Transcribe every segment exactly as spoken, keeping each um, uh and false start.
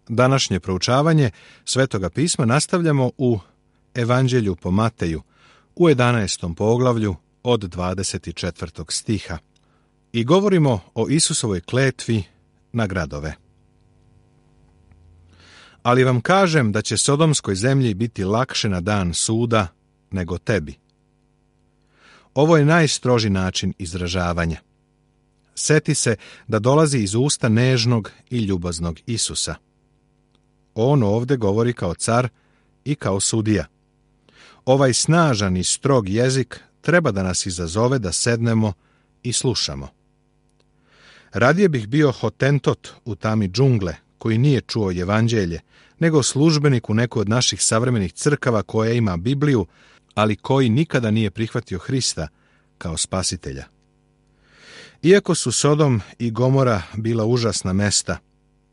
Današnje proučavanje Svetoga pisma nastavljamo u Evanđelju po Mateju, u jedanaestom poglavlju od dvadeset četvrtog stiha. I govorimo o Isusovoj kletvi na gradove. Ali vam kažem da će Sodomskoj zemlji biti lakše na dan suda nego tebi. Ovo je najstroži način izražavanja. Seti se da dolazi iz usta nežnog i ljubaznog Isusa. On ovdje govori kao car i kao sudija. Ovaj snažan i strog jezik treba da nas izazove da sednemo i slušamo. Radije bih bio hotentot u tami džungle, koji nije čuo evanđelje, nego službenik u nekoj od naših savremenih crkava koja ima Bibliju, ali koji nikada nije prihvatio Hrista kao spasitelja. Iako su Sodom i Gomora bila užasna mesta,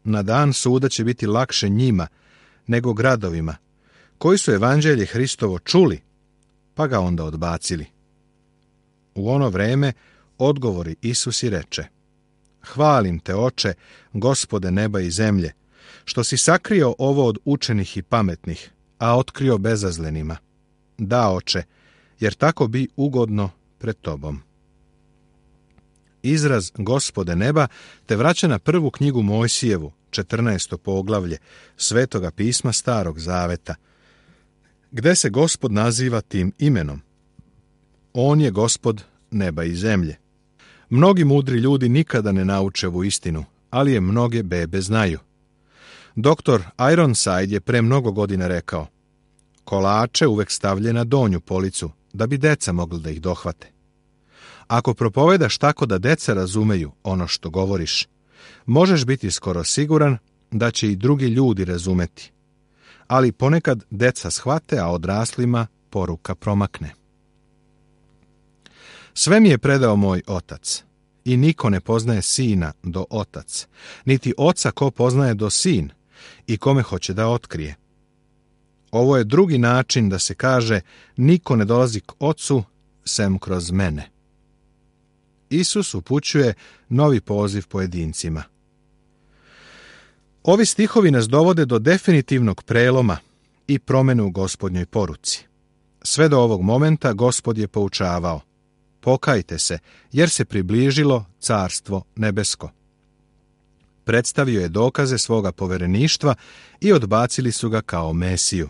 na dan suda će biti lakše njima nego gradovima, koji su evanđelje Hristovo čuli, pa ga onda odbacili. U ono vreme odgovori Isus i reče: Hvalim te, Oče, Gospode neba i zemlje, što si sakrio ovo od učenih i pametnih, a otkrio bezazlenima. Da, Oče, jer tako bi ugodno pred tobom. Izraz Gospode neba te vraća na prvu knjigu Mojsijevu, četrnaesto poglavlje Svetoga pisma Starog zaveta, gde se Gospod naziva tim imenom. On je Gospod neba i zemlje. Mnogi mudri ljudi nikada ne nauče ovu istinu, ali je mnoge bebe znaju. Doktor Ironside je pre mnogo godina rekao: kolače uvek stavlje na donju policu, da bi deca mogli da ih dohvate. Ako propovedaš tako da deca razumeju ono što govoriš, možeš biti skoro siguran da će i drugi ljudi razumeti. Ali ponekad deca shvate, a odraslima poruka promakne. Sve mi je predao moj otac, i niko ne poznaje sina do otac, niti oca ko poznaje do sin, i kome hoće da otkrije. Ovo je drugi način da se kaže: niko ne dolazi k ocu sem kroz mene. Isus upućuje novi poziv pojedincima. Ovi stihovi nas dovode do definitivnog preloma i promene u Gospodnjoj poruci. Sve do ovog momenta Gospod je poučavao: pokajte se, jer se približilo carstvo nebesko. Predstavio je dokaze svoga povereništva i odbacili su ga kao Mesiju.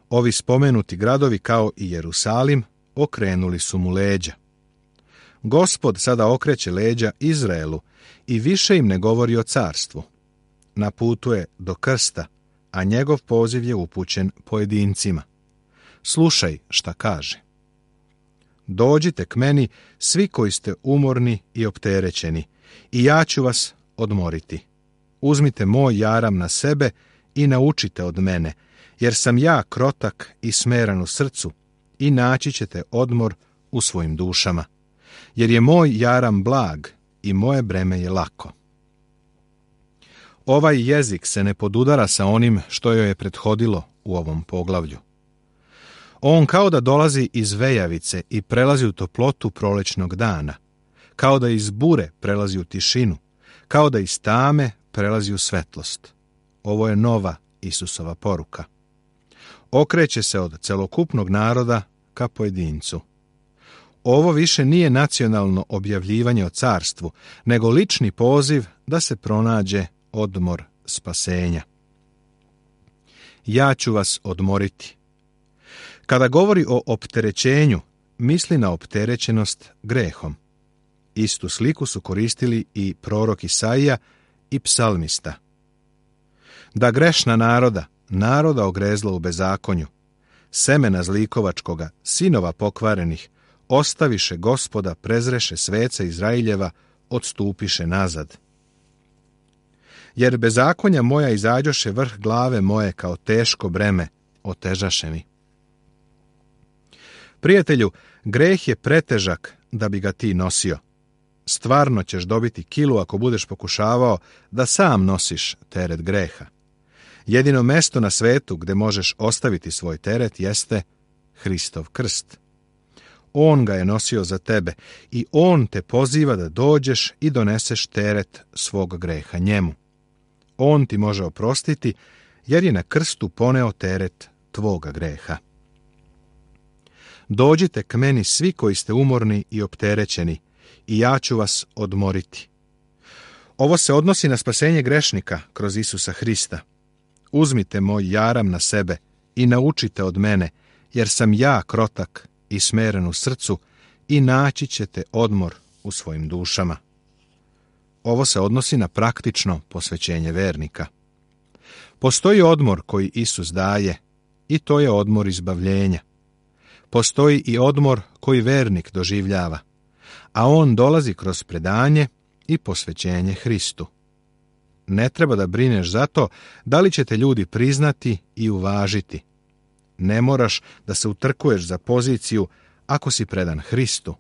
Ovi spomenuti gradovi, kao i Jerusalim, okrenuli su mu leđa. Gospod sada okreće leđa Izraelu i više im ne govori o carstvu. Na putu je do krsta, a njegov poziv je upućen pojedincima. Slušaj šta kaže. Dođite k meni, svi koji ste umorni i opterećeni, i ja ću vas odmoriti. Uzmite moj jaram na sebe i naučite od mene, jer sam ja krotak i smeran u srcu, i naći ćete odmor u svojim dušama. Jer je moj jaram blag i moje breme je lako. Ovaj jezik se ne podudara sa onim što joj je prethodilo u ovom poglavlju. On kao da dolazi iz vejavice i prelazi u toplotu prolećnog dana, kao da iz bure prelazi u tišinu, kao da iz tame prelazi u svetlost. Ovo je nova Isusova poruka. Okreće se od celokupnog naroda ka pojedincu. Ovo više nije nacionalno objavljivanje o carstvu, nego lični poziv da se pronađe odmor spasenja. Ja ću vas odmoriti. Kada govori o opterećenju, misli na opterećenost grehom. Istu sliku su koristili i prorok Isaija i psalmista. Da grešna naroda, naroda ogrezla u bezakonju, semena zlikovačkoga, sinova pokvarenih, ostaviše Gospoda, prezreše sveca Izraeljeva, odstupiše nazad. Jer bezakonja moja izađoše vrh glave moje kao teško breme, otežaše mi. Prijatelju, greh je pretežak da bi ga ti nosio. Stvarno ćeš dobiti kilu ako budeš pokušavao da sam nosiš teret greha. Jedino mesto na svetu gde možeš ostaviti svoj teret jeste Hristov krst. On ga je nosio za tebe i on te poziva da dođeš i doneseš teret svog greha njemu. On ti može oprostiti, jer je na krstu poneo teret tvoga greha. Dođite k meni svi koji ste umorni i opterećeni, i ja ću vas odmoriti. Ovo se odnosi na spasenje grešnika kroz Isusa Hrista. Uzmite moj jaram na sebe i naučite od mene, jer sam ja krotak i smeren u srcu, i naći ćete odmor u svojim dušama. Ovo se odnosi na praktično posvećenje vernika. Postoji odmor koji Isus daje, i to je odmor izbavljenja. Postoji i odmor koji vernik doživljava, a on dolazi kroz predanje i posvećenje Hristu. Ne treba da brineš za to da li će te ljudi priznati i uvažiti. Ne moraš da se utrkuješ za poziciju ako si predan Hristu.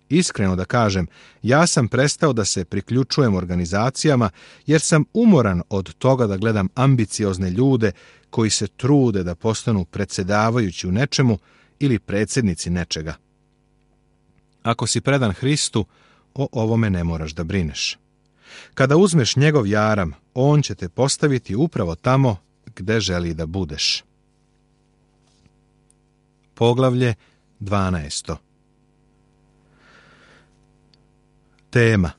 Iskreno da kažem, ja sam prestao da se priključujem organizacijama jer sam umoran od toga da gledam ambiciozne ljude koji se trude da postanu predsjedavajući u nečemu ili predsjednici nečega. Ako si predan Hristu, o ovome ne moraš da brineš. Kada uzmeš njegov jaram, on će te postaviti upravo tamo gde želi da budeš. Poglavlje dvanaesto. Tema: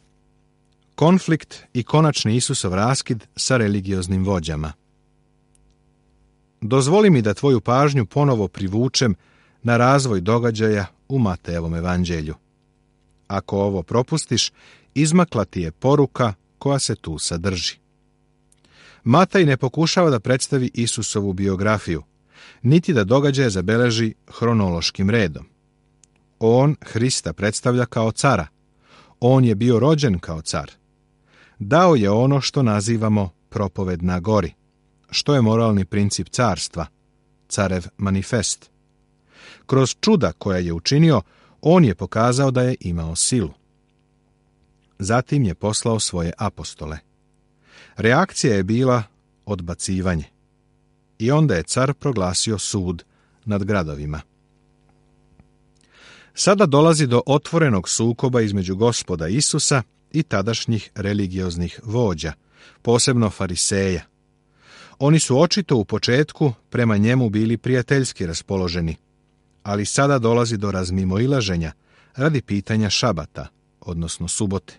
konflikt i konačni Isusov raskid sa religioznim vođama. Dozvoli mi da tvoju pažnju ponovo privučem na razvoj događaja u Matejevom evanđelju. Ako ovo propustiš, izmakla ti je poruka koja se tu sadrži. Matej ne pokušava da predstavi Isusovu biografiju, niti da događaje zabeleži hronološkim redom. On Hrista predstavlja kao cara. On je bio rođen kao car. Dao je ono što nazivamo propoved na gori, što je moralni princip carstva, carev manifest. Kroz čuda koja je učinio, on je pokazao da je imao silu. Zatim je poslao svoje apostole. Reakcija je bila odbacivanje. I onda je car proglasio sud nad gradovima. Sada dolazi do otvorenog sukoba između Gospoda Isusa i tadašnjih religioznih vođa, posebno fariseja. Oni su očito u početku prema njemu bili prijateljski raspoloženi, ali sada dolazi do razmimoilaženja radi pitanja šabata, odnosno subote.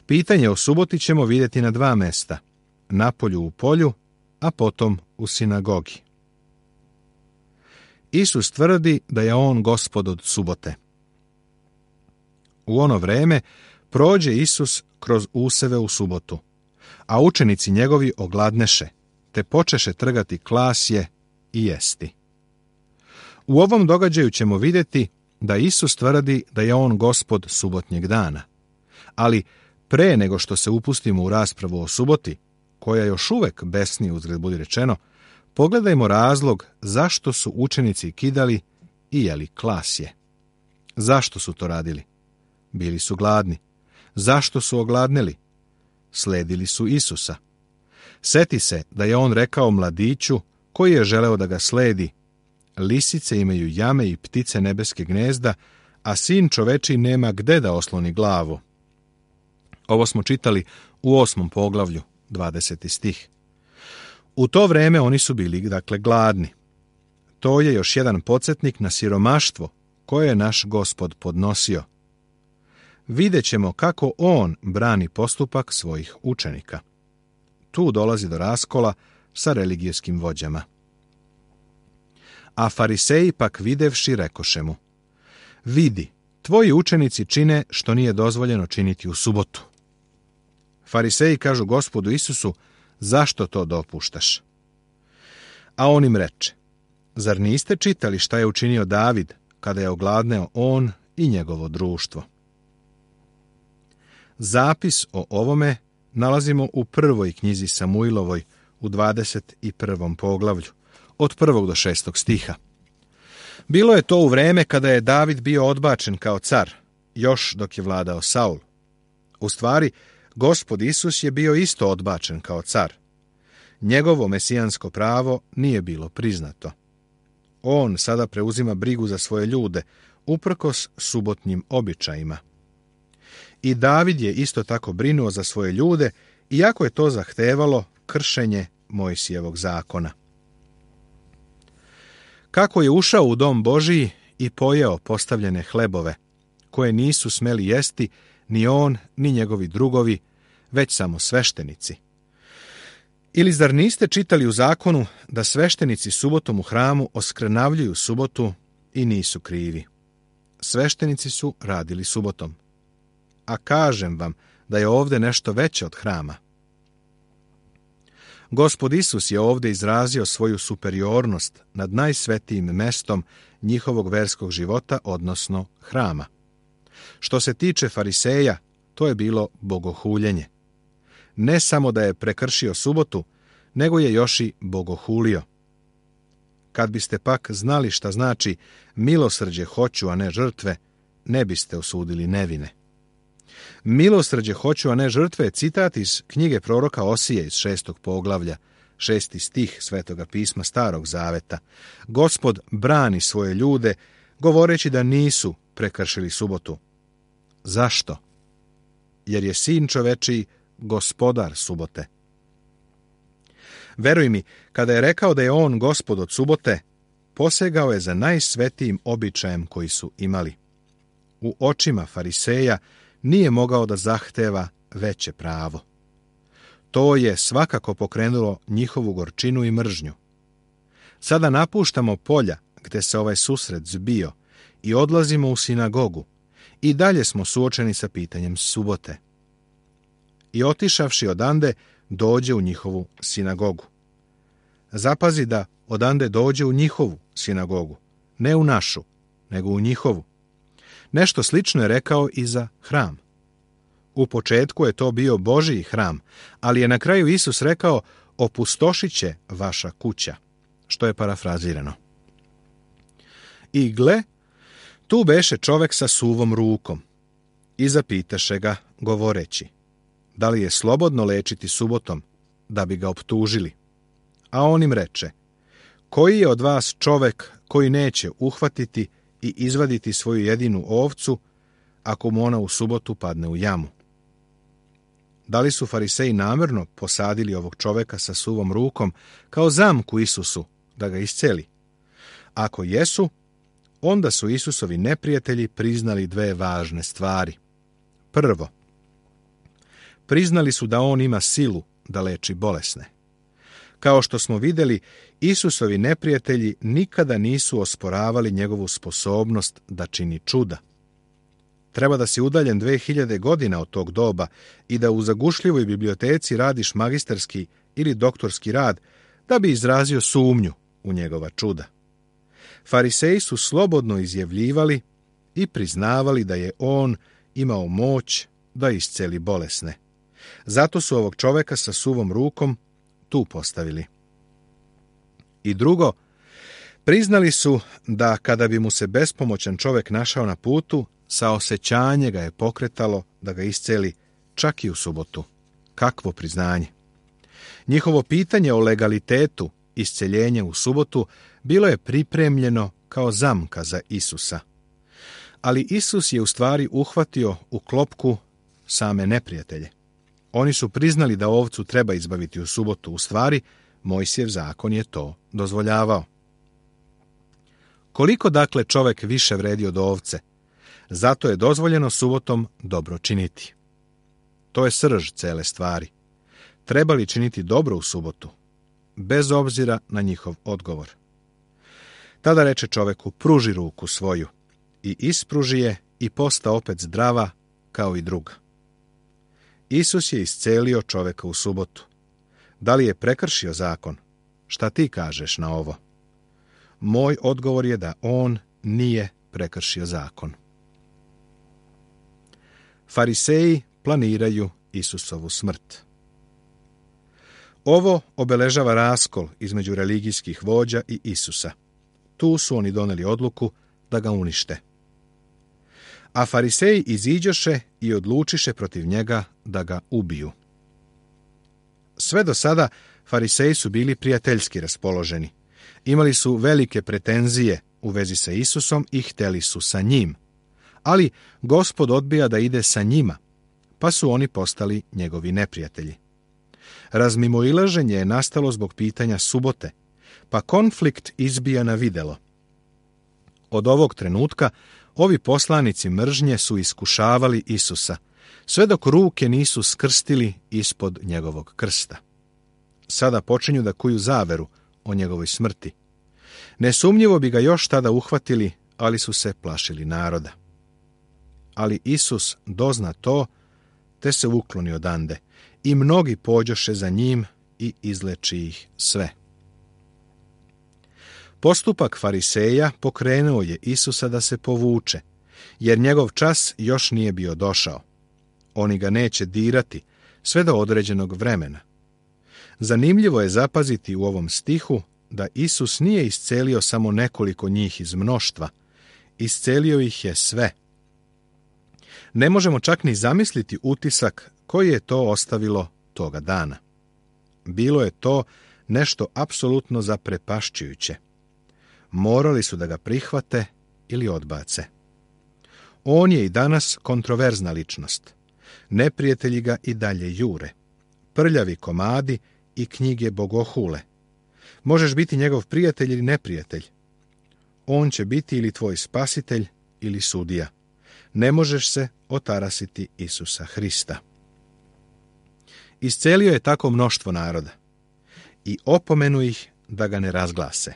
Pitanje o suboti ćemo vidjeti na dva mesta, napolju u polju, a potom u sinagogi. Isus tvrdi da je on gospod od subote. U ono vreme prođe Isus kroz useve u subotu, a učenici njegovi ogladneše, te počeše trgati klasje i jesti. U ovom događaju ćemo vidjeti da Isus tvrdi da je on gospod subotnjeg dana, ali pre nego što se upustimo u raspravu o suboti, koja još uvek besni, uzgred budi rečeno, pogledajmo razlog zašto su učenici kidali i jeli klasje. Zašto su to radili? Bili su gladni. Zašto su ogladneli? Sledili su Isusa. Seti se da je on rekao mladiću koji je želeo da ga sledi: lisice imaju jame i ptice nebeske gnezda, a sin čoveči nema gde da osloni glavu. Ovo smo čitali u osmom poglavlju, dvadeseti stih. U to vreme oni su bili, dakle, gladni. To je još jedan podsjetnik na siromaštvo koje je naš Gospod podnosio. Vidjet ćemo kako on brani postupak svojih učenika. Tu dolazi do raskola sa religijskim vođama. A fariseji pak videvši rekoše mu: vidi, tvoji učenici čine što nije dozvoljeno činiti u subotu. Fariseji kažu Gospodu Isusu: zašto to dopuštaš? A on im reče: zar niste čitali šta je učinio David kada je ogladneo on i njegovo društvo? Zapis o ovome nalazimo u prvoj knjizi Samuilovoj u dvadeset prvom poglavlju, od prvog do šestog stiha. Bilo je to u vreme kada je David bio odbačen kao car, još dok je vladao Saul. U stvari, Gospod Isus je bio isto odbačen kao car. Njegovo mesijansko pravo nije bilo priznato. On sada preuzima brigu za svoje ljude, uprkos subotnjim običajima. I David je isto tako brinuo za svoje ljude iako je to zahtevalo kršenje Mojsijevog zakona. Kako je ušao u dom Božiji i pojeo postavljene hlebove, koje nisu smeli jesti ni on, ni njegovi drugovi, već samo sveštenici. Ili zar niste čitali u zakonu da sveštenici subotom u hramu oskrnavljuju subotu i nisu krivi? Sveštenici su radili subotom. A kažem vam da je ovdje nešto veće od hrama. Gospod Isus je ovdje izrazio svoju superiornost nad najsvetijim mestom njihovog verskog života, odnosno hrama. Što se tiče fariseja, to je bilo bogohuljenje. Ne samo da je prekršio subotu, nego je još i bogohulio. Kad biste pak znali šta znači milosrđe hoću, a ne žrtve, ne biste osudili nevine. Milosrđe hoću, a ne žrtve je citat iz knjige proroka Osije iz šestog poglavlja, šesti stih Svetoga pisma Starog zaveta. Gospod brani svoje ljude, govoreći da nisu prekršili subotu. Zašto? Jer je sin čovečiji gospodar subote. Veruj mi, kada je rekao da je on gospod od subote, posegao je za najsvetijim običajem koji su imali. U očima fariseja nije mogao da zahteva veće pravo. To je svakako pokrenulo njihovu gorčinu i mržnju. Sada napuštamo polja gde se ovaj susret zbio i odlazimo u sinagogu i dalje smo suočeni sa pitanjem subote. I otišavši odande, dođe u njihovu sinagogu. Zapazi da odande dođe u njihovu sinagogu, ne u našu, nego u njihovu. Nešto slično je rekao i za hram. U početku je to bio Božiji hram, ali je na kraju Isus rekao, opustošit će vaša kuća, što je parafrazirano. I gle, tu beše čovek sa suvom rukom i zapitaše ga, govoreći, da li je slobodno lečiti subotom, da bi ga optužili. A on im reče, koji je od vas čovek koji neće uhvatiti i izvaditi svoju jedinu ovcu, ako mu ona u subotu padne u jamu? Da li su fariseji namjerno posadili ovog čoveka sa suvom rukom kao zamku Isusu da ga isceli? Ako jesu, onda su Isusovi neprijatelji priznali dve važne stvari. Prvo, priznali su da on ima silu da leči bolesne. Kao što smo vidjeli, Isusovi neprijatelji nikada nisu osporavali njegovu sposobnost da čini čuda. Treba da si udaljen dve hiljade godina od tog doba i da u zagušljivoj biblioteci radiš magistarski ili doktorski rad da bi izrazio sumnju u njegova čuda. Fariseji su slobodno izjavljivali i priznavali da je on imao moć da isceli bolesne. Zato su ovog čoveka sa suvom rukom tu postavili. I drugo, priznali su da kada bi mu se bespomoćan čovek našao na putu, saosećanje ga je pokretalo da ga isceli čak i u subotu. Kakvo priznanje! Njihovo pitanje o legalitetu isceljenja u subotu bilo je pripremljeno kao zamka za Isusa. Ali Isus je u stvari uhvatio u klopku same neprijatelje. Oni su priznali da ovcu treba izbaviti u subotu. U stvari, Mojsijev zakon je to dozvoljavao. Koliko dakle čovek više vredi od ovce? Zato je dozvoljeno subotom dobro činiti. To je srž cele stvari. Treba li činiti dobro u subotu? Bez obzira na njihov odgovor. Tada reče čoveku, pruži ruku svoju. I ispruži je i posta opet zdrava kao i druga. Isus je iscelio čoveka u subotu. Da li je prekršio zakon? Šta ti kažeš na ovo? Moj odgovor je da on nije prekršio zakon. Fariseji planiraju Isusovu smrt. Ovo obeležava raskol između religijskih vođa i Isusa. Tu su oni doneli odluku da ga unište. A fariseji iziđoše i odlučiše protiv njega da ga ubiju. Sve do sada fariseji su bili prijateljski raspoloženi. Imali su velike pretenzije u vezi sa Isusom i hteli su sa njim. Ali Gospod odbija da ide sa njima, pa su oni postali njegovi neprijatelji. Razmimoilaženje je nastalo zbog pitanja subote, pa konflikt izbija na videlo. Od ovog trenutka ovi poslanici mržnje su iskušavali Isusa, sve dok ruke nisu skrstili ispod njegovog krsta. Sada počinju da kuju zaveru o njegovoj smrti. Nesumnjivo bi ga još tada uhvatili, ali su se plašili naroda. Ali Isus dozna to, te se ukloni odande, i mnogi pođoše za njim i izleči ih sve. Postupak fariseja pokrenuo je Isusa da se povuče, jer njegov čas još nije bio došao. Oni ga neće dirati sve do određenog vremena. Zanimljivo je zapaziti u ovom stihu da Isus nije iscelio samo nekoliko njih iz mnoštva, iscelio ih je sve. Ne možemo čak ni zamisliti utisak koji je to ostavilo toga dana. Bilo je to nešto apsolutno zaprepašćujuće. Morali su da ga prihvate ili odbace. On je i danas kontroverzna ličnost. Neprijatelji ga i dalje jure. Prljavi komadi i knjige bogohule. Možeš biti njegov prijatelj ili neprijatelj. On će biti ili tvoj spasitelj ili sudija. Ne možeš se otarasiti Isusa Hrista. Iscelio je tako mnoštvo naroda i opomenu ih da ga ne razglase.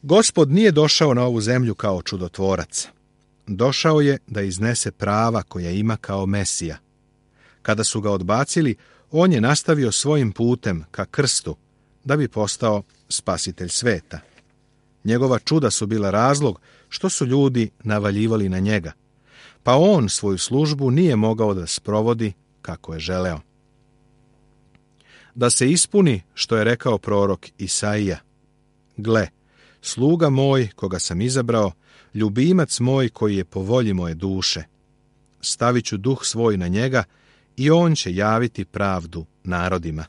Gospod nije došao na ovu zemlju kao čudotvorac. Došao je da iznese prava koja ima kao Mesija. Kada su ga odbacili, on je nastavio svojim putem ka krstu, da bi postao spasitelj sveta. Njegova čuda su bila razlog što su ljudi navaljivali na njega, pa on svoju službu nije mogao da sprovodi kako je želeo. Da se ispuni što je rekao prorok Isaija. Gle, sluga moj koga sam izabrao, ljubimac moj koji je po volji moje duše. Stavit ću duh svoj na njega i on će javiti pravdu narodima.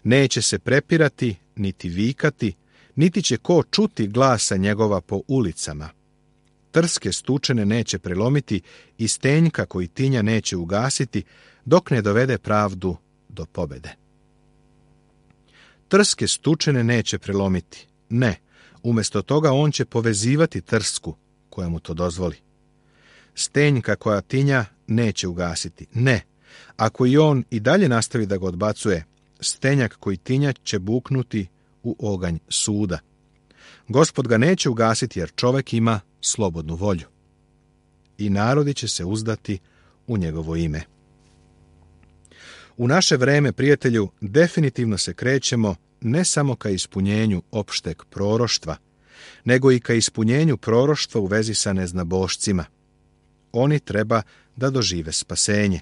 Neće se prepirati, niti vikati, niti će ko čuti glasa njegova po ulicama. Trske stučene neće prelomiti i stenjka koji tinja neće ugasiti, dok ne dovede pravdu do pobede. Trske stučene neće prelomiti. Ne, umjesto toga on će povezivati trsku koja mu to dozvoli. Stenjka koja tinja neće ugasiti. Ne, ako i on i dalje nastavi da ga odbacuje, stenjak koji tinja će buknuti u oganj suda. Gospod ga neće ugasiti jer čovek ima slobodnu volju. I narodi će se uzdati u njegovo ime. U naše vreme, prijatelju, definitivno se krećemo ne samo ka ispunjenju opšteg proroštva, nego i ka ispunjenju proroštva u vezi sa neznabošcima. Oni treba da dožive spasenje.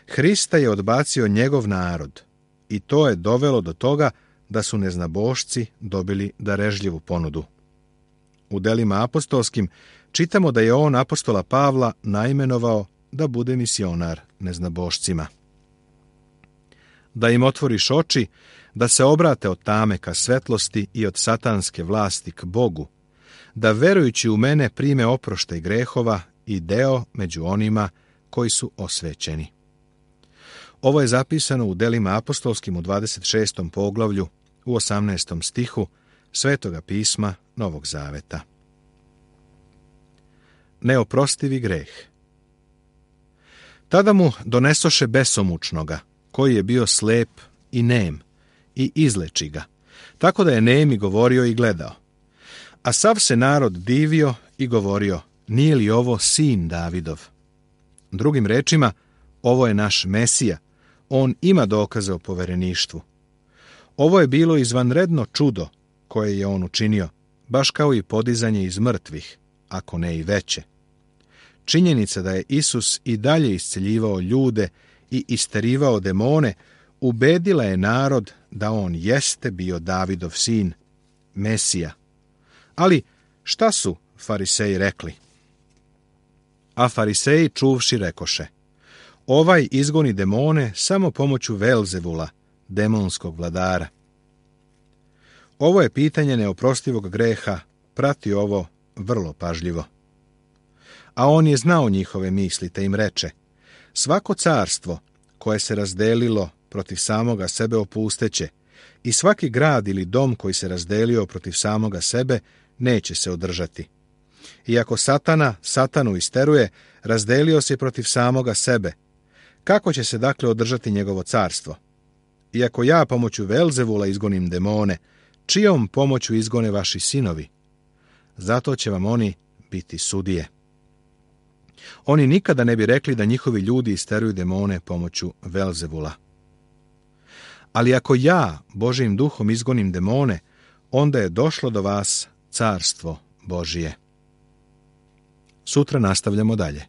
Hrista je odbacio njegov narod i to je dovelo do toga da su neznabošci dobili darežljivu ponudu. U delima apostolskim čitamo da je on apostola Pavla naimenovao da bude misionar neznabošcima. Da im otvoriš oči, da se obrate od tame ka svetlosti i od satanske vlasti k Bogu, da verujući u mene prime oproštaj grehova i deo među onima koji su osvećeni. Ovo je zapisano u delima apostolskim u dvadeset šestom poglavlju u osamnaestom stihu Svetoga pisma Novog Zaveta. Neoprostivi greh. Tada mu donesoše besomučnoga, koji je bio slep i nem, i izleči ga, tako da je nemi govorio i gledao. A sav se narod divio i govorio, nije li ovo sin Davidov? Drugim rečima, ovo je naš Mesija, on ima dokaze o povereništvu. Ovo je bilo izvanredno čudo koje je on učinio, baš kao i podizanje iz mrtvih, ako ne i veće. Činjenica da je Isus i dalje isceljivao ljude i isterivao demone, ubedila je narod da on jeste bio Davidov sin, Mesija. Ali šta su fariseji rekli? A fariseji čuvši rekoše, ovaj izgoni demone samo pomoću Velzevula, demonskog vladara. Ovo je pitanje neoprostivog greha, prati ovo vrlo pažljivo. A on je znao njihove misli, te im reče, svako carstvo koje se razdelilo protiv samoga sebe opusteće i svaki grad ili dom koji se razdelio protiv samoga sebe neće se održati. Iako Satana Satanu isteruje, razdelio se protiv samoga sebe. Kako će se dakle održati njegovo carstvo? Iako ja pomoću Velzevula izgonim demone, čijom pomoću izgone vaši sinovi? Zato će vam oni biti sudije. Oni nikada ne bi rekli da njihovi ljudi isteruju demone pomoću Velzevula. Ali ako ja Božjim duhom izgonim demone, onda je došlo do vas carstvo Božije. Sutra nastavljamo dalje.